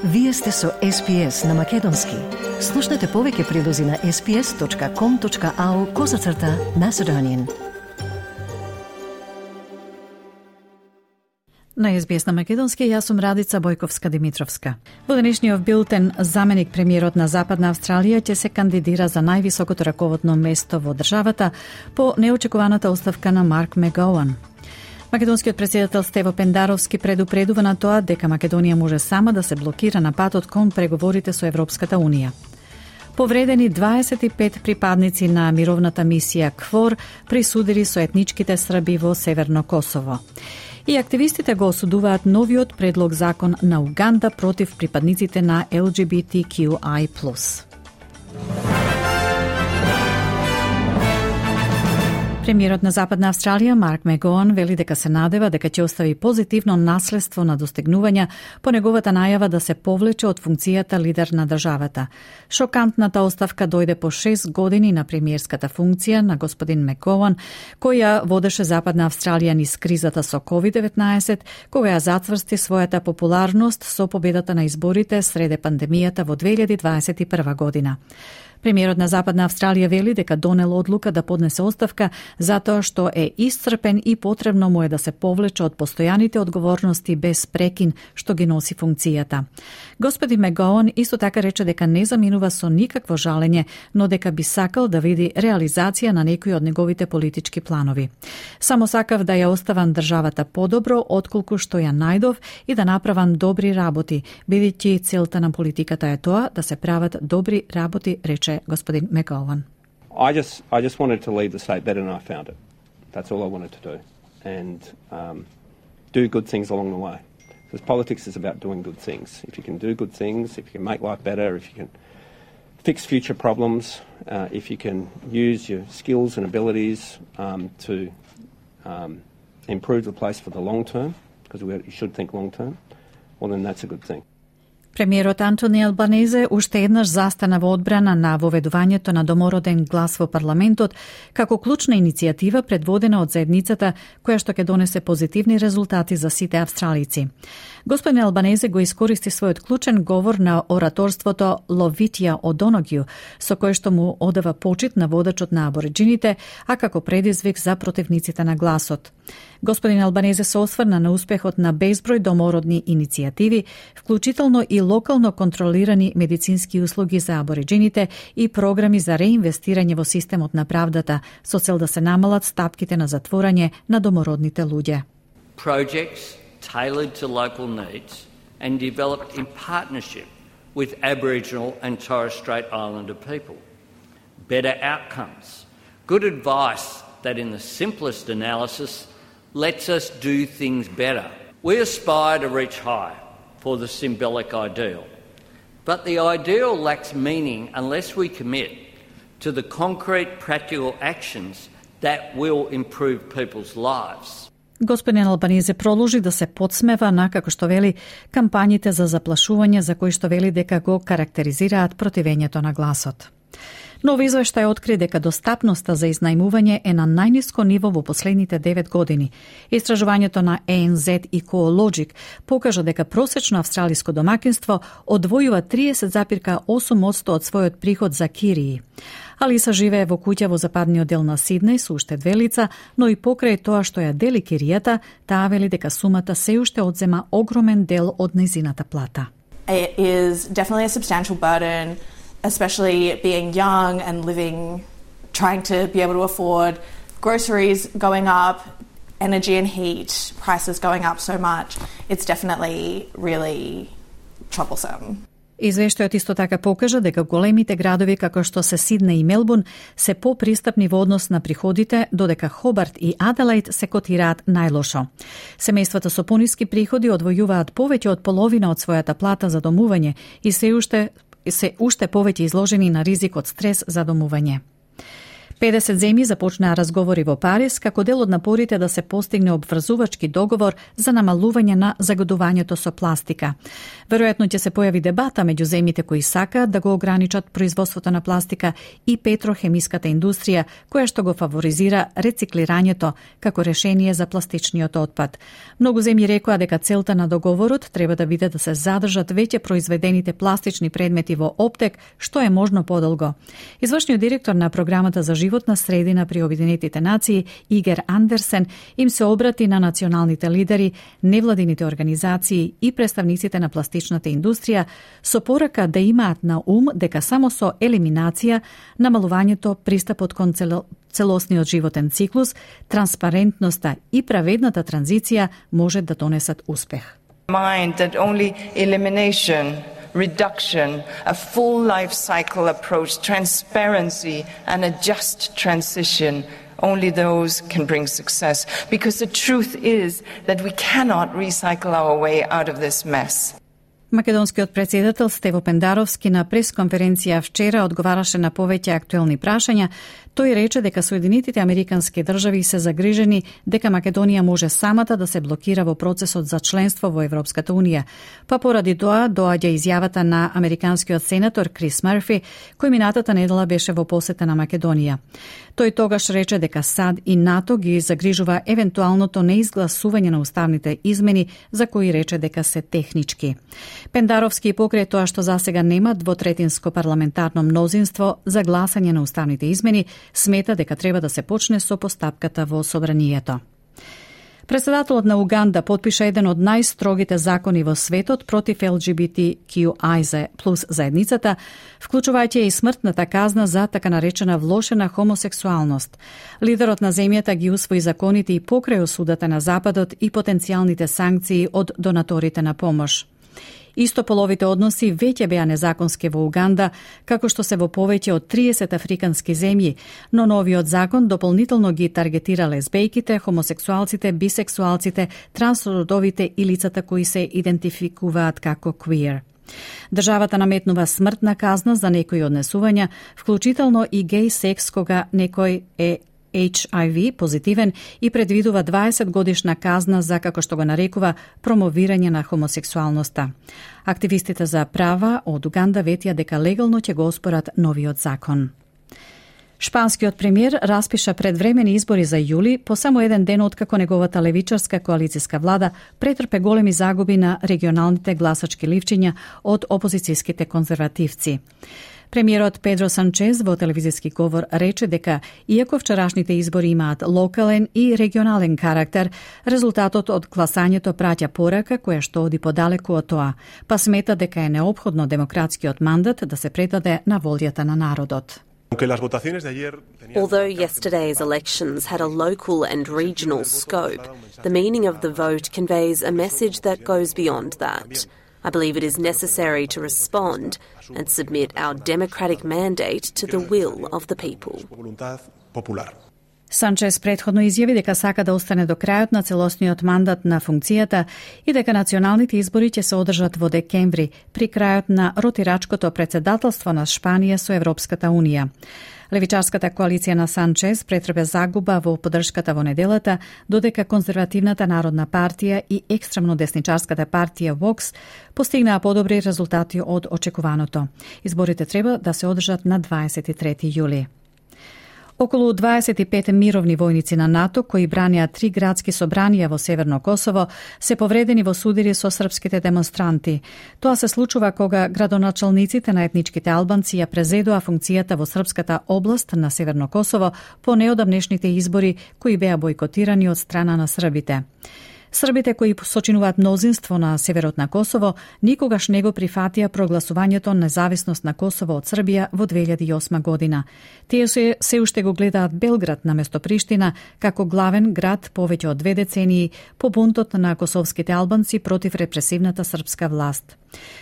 Вие сте со SPS на Македонски. Слушнете повеќе прилози на sps.com.au/Macedonian. На SBS на Македонски, јас сум Радица Бојковска-Димитровска. Во денешниот билтен, заменик премиерот на Западна Австралија ќе се кандидира за највисокото раководно место во државата по неочекуваната оставка на Марк Мегоуан. Македонскиот претседател Стево Пендаровски предупредува на тоа дека Македонија може сама да се блокира на патот кон преговорите со Европската Унија. Повредени 25 припадници на мировната мисија КФОР присудили со етничките Срби во Северно Косово. И активистите го осудуваат новиот предлог закон на Уганда против припадниците на LGBTQI+. Премиерот на Западна Австралија Марк Мегоуан вели дека се надева дека ќе остави позитивно наследство на достигнувања по неговата најава да се повлече од функцијата лидер на државата. Шокантната оставка дојде по 6 години на премиерската функција на господин Мегоуан, која водеше Западна Австралија низ кризата со COVID-19, кога ја зацврсти својата популарност со победата на изборите среде пандемијата во 2021 година. Премиерот на Западна Австралија вели дека донел одлука да поднесе оставка затоа што е исцрпен и потребно му е да се повлече од постојаните одговорности без прекин што ги носи функцијата. Господин Мегоуан исто така рече дека не заминува со никакво жалење, но дека би сакал да види реализација на некои од неговите политички планови. Само сакав да ја оставам државата подобро отколку што ја најдов и да направам добри работи, бидејќи целта на политиката е тоа да се прават добри работи, рече господин Мегоуан. I just wanted to leave the state better than I found it. That's all I wanted to do. And do good things along the way. Because politics is about doing good things. If you can do good things, if you can make life better, if you can fix future problems, if you can use your skills and abilities to improve the place for the long term, because you should think long term, well then that's a good thing. Премиерот Антони Албанезе уште еднаш застана во одбрана на воведувањето на домороден глас во парламентот како клучна иницијатива предводена од заедницата која што ќе донесе позитивни резултати за сите австралици. Господин Албанезе го искористи својот клучен говор на ораторството Ловитија Одоногју, со кој што му одава почит на водачот на абориџините, а како предизвик за противниците на гласот. Господин Албанезе се осврна на успехот на безброј домородни иницијативи, вклучително и локално контролирани медицински услуги за абориџините и програми за реинвестирање во системот на правдата, со цел да се намалат стапките на затворање на домородните луѓе. Projects tailored to local needs and developed in partnership with Aboriginal and Torres Strait Islander people. Better outcomes, good advice that in the simplest analysis lets us do things better. We aspire to reach high for the symbolic ideal, but the ideal lacks meaning unless we commit to the concrete practical actions that will improve people's lives. Господин Албанезе продолжи да се подсмева на, како што вели, кампањите за заплашување за кои што вели дека го карактеризираат противењето на гласот. Нов извештај откри дека достапноста за изнајмување е на најниско ниво во последните 9 години. Истражувањето на ANZ и CoLogic покажа дека просечно австралиско домакинство одвојува 30,8% од својот приход за кирии. Алиса живее во куќа во западниот дел на Сиднеј со уште 2 лица, но и покрај тоа што ја дели киријата, таа вели дека сумата се уште одзема огромен дел од нејзината плата. It is definitely a substantial burden, especially being young and trying to be able to afford groceries going up, energy and heat prices going up so much. It's definitely really troublesome. Извештајот исто така покажа дека големите градови како што се Сиднеј и Мелбурн се попристапни во однос на приходите, додека Хобарт и Аделаид се котираат најлошо. Семејствата со пониски приходи одвојуваат повеќе од половина од својата плата за домување и се уште повеќе изложени на ризик од стрес за домување. 50 земји започнаа разговори во Париз како дел од напорите да се постигне обврзувачки договор за намалување на загадувањето со пластика. Веројатно ќе се појави дебата меѓу земјите кои сакаат да го ограничат производството на пластика и петрохемиската индустрија, која што го фаворизира рециклирањето како решение за пластичниот отпад. Многу земји рекоа дека целта на договорот треба да биде да се задржат веќе произведените пластични предмети во оптек, што е можно подолго. Извршниот директор на програмата за животна средина при Обединетите нации, Игер Андерсен, им се обрати на националните лидери, невладините организации и представниците на пластичната индустрија со порака да имаат на ум дека само со елиминација, намалувањето, пристапот кон целосниот животен циклус, транспарентноста и праведната транзиција може да донесат успех. Mind that only elimination, reduction, a full life cycle approach, transparency and a just transition, only those can bring success. Because the truth is that we cannot recycle our way out of this mess. Македонскиот претседател Стево Пендаровски на пресконференција вчера одговараше на повеќе актуелни прашања. Тој рече дека Соединетите Американски држави се загрижени дека Македонија може самата да се блокира во процесот за членство во Европската Унија. Па поради тоа доаѓа изјавата на американскиот сенатор Крис Мерфи, кој минатата недела беше во посета на Македонија. Тој тогаш рече дека САД и НАТО ги загрижува евентуалното неизгласување на уставните измени, за кои рече дека се технички. Пендаровски покрај тоа што засега нема двотретинско парламентарно мнозинство за гласање на уставните измени, смета дека треба да се почне со постапката во собранието. Председателот на Уганда потпиша еден од најстрогите закони во светот против LGBTQI плюс заедницата, вклучувајќи и смртната казна за така наречена влошена хомосексуалност. Лидерот на земјата ги усвои законите и покрај осудата на Западот и потенцијалните санкции од донаторите на помош. Истополовите односи веќе беа незаконски во Уганда, како што се во повеќе од 30 африкански земји, но новиот закон дополнително ги таргетира лесбејките, хомосексуалците, бисексуалците, трансродовите и лицата кои се идентификуваат како queer. Државата наметнува смртна казна за некои однесувања, вклучително и геј секс кога некој е HIV позитивен и предвидува 20 годишна казна за, како што го нарекува, промовирање на хомосексуалноста. Активистите за права од Уганда ветија дека легално ќе го оспорат новиот закон. Шпанскиот премиер распиша предвремени избори за јули по само еден ден откако неговата левичарска коалицијска влада претрпе големи загуби на регионалните гласачки ливчиња од опозицијските конзервативци. Премиерот Педро Санчез во телевизиски говор рече дека, иако вчерашните избори имаат локален и регионален карактер, резултатот од гласањето праќа порака која што оди подалеку од тоа, па смета дека е неопходно демократскиот мандат да се предаде на волјата на народот. Although yesterday's elections had a local and regional scope, the meaning of the vote conveys a message that goes beyond that. I believe it is necessary to respond and submit our democratic mandate to the will of the people. Санчес претходно изјави дека сака да остане до крајот на целосниот мандат на функцијата и дека националните избори ќе се одржат во декември, при крајот на ротирачкото председателство на Шпанија со Европската Унија. Левичарската коалиција на Санчес претрпе загуба во поддршката во неделата, додека конзервативната Народна партија и екстремно десничарската партија Vox постигнаа подобри резултати од очекуваното. Изборите треба да се одржат на 23 јули. Околу 25 мировни војници на НАТО, кои бранеа 3 градски собранија во Северно Косово, се повредени во судири со српските демонстранти. Тоа се случува кога градоначалниците на етничките албанци ја презедоа функцијата во српската област на Северно Косово по неодамнешните избори кои беа бойкотирани од страна на србите. Србите кои сочинуваат мнозинство на северот на Косово никогаш не го прифатија прогласувањето независност на Косово од Србија во 2008 година. Тие се уште го гледаат Белград наместо Приштина како главен град повеќе од 2 децении по бунтот на косовските албанци против репресивната српска власт.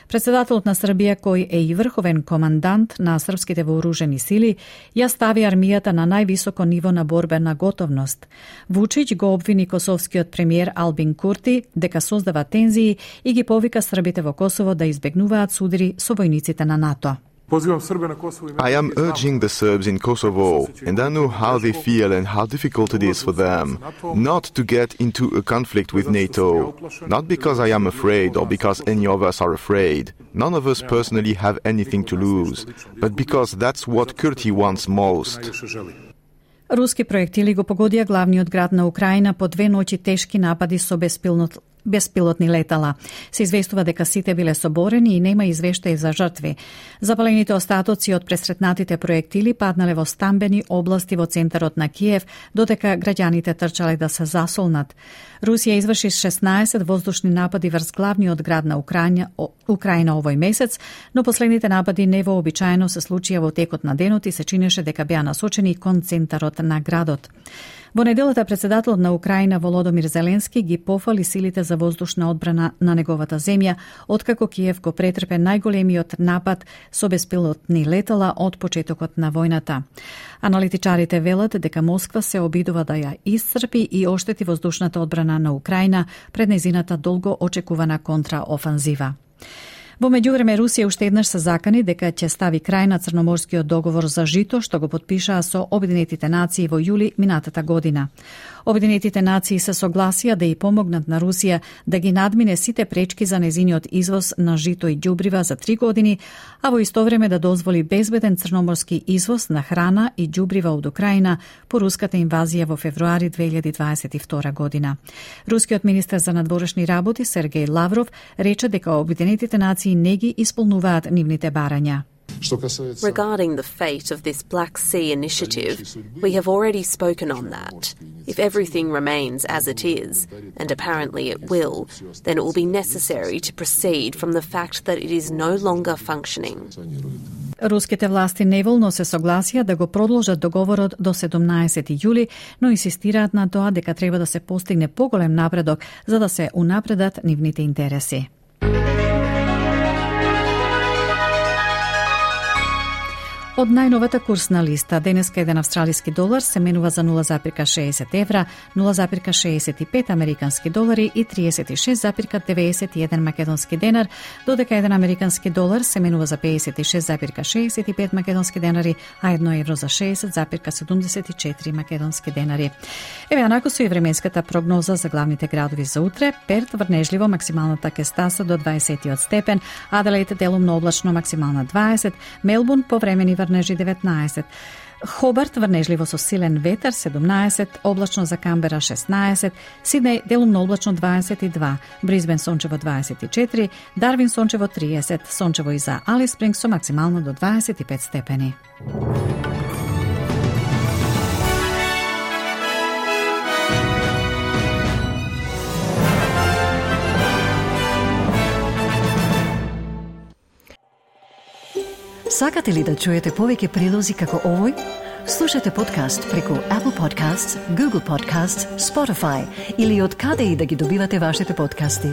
Председателот на Србија, кој е и врховен командант на српските вооружени сили, ја стави армијата на највисоко ниво на борбена готовност. Вучиќ го обвини косовскиот премиер Албин Курти дека создава тензии и ги повика србите во Косово да избегнуваат судири со војниците на НАТО. I am urging the Serbs in Kosovo, and I know how they feel and how difficult it is for them, not to get into a conflict with NATO. Not because I am afraid or because any of us are afraid. None of us personally have anything to lose, but because that's what Kurti wants most. Руски проектили го погодија главниот град на Украина по 2 ноќи тешки напади со беспилотни летала. Се известува дека сите биле соборени и нема извештаи за жртви. Запалените остатоци од пресретнатите проектили паднале во стамбени области во центарот на Киев, додека граѓаните трчале да се засолнат. Русија изврши 16 воздушни напади врз главниот град на Украина овој месец, но последните напади невообичаено се случија во текот на денот и се чинеше дека беа насочени кон центарот на градот. Во неделата председателот на Украина Володомир Зеленски ги пофали силите за воздушна одбрана на неговата земја, откако Киев го претрпе најголемиот напад со беспилотни летала од почетокот на војната. Аналитичарите велат дека Москва се обидува да ја исцрпи и оштети воздушната одбрана на Украина пред нејзината долго очекувана контраофанзива. Во меѓувреме, Русија уште еднаш се закани дека ќе стави крај на Црноморскиот договор за жито, што го потпишаа со Обединетите нации во јули минатата година. Обединетите нации се согласија да ја помогнат на Русија да ги надмине сите пречки за нејзиниот извоз на жито и ѓубрива за 3 години, а во исто време да дозволи безбеден црноморски извоз на храна и ѓубрива од Украина по руската инвазија во февруари 2022 година. Рускиот министер за надворешни работи Сергеј Лавров рече дека Обединетите нации не ги исполнуваат нивните барања. Regarding the fate of this Black Sea initiative, we have already spoken on that. If everything remains as it is, and apparently it will, then it will be necessary to proceed from the fact that it is no longer functioning. Руските власти неволно се согласија да го продолжат договорот до 17 јули, но инсистираат на тоа дека треба да се постигне поголем напредок за да се унапредат нивните интереси. Од најновата курсна листа, денеска еден австралиски долар се менува за 0,60 евра, 0,65 американски долари и 36,91 македонски денар, додека еден американски долар се менува за 56,65 македонски денари, а 1 евро за 60,74 македонски денари. Еве анако со и временската прогноза за главните градови за утре. Перт врнежливо, максималната ќе стаса до 20 степен, Аделаид делумно облачно, максимална 20, Мелбурн повремени врнежи 19, Хобарт врнежливо со силен ветер 17, облачно за Камбера 16, Сиднеј делумно облачно 22, Брисбен сончево 24, Дарвин сончево 30, сончево и за Алис Спрингс со максимално до 25 степени. Сакате ли да чуете повеќе прилози како овој? Слушате подкаст преку Apple Podcasts, Google Podcasts, Spotify или од каде и да ги добивате вашите подкасти.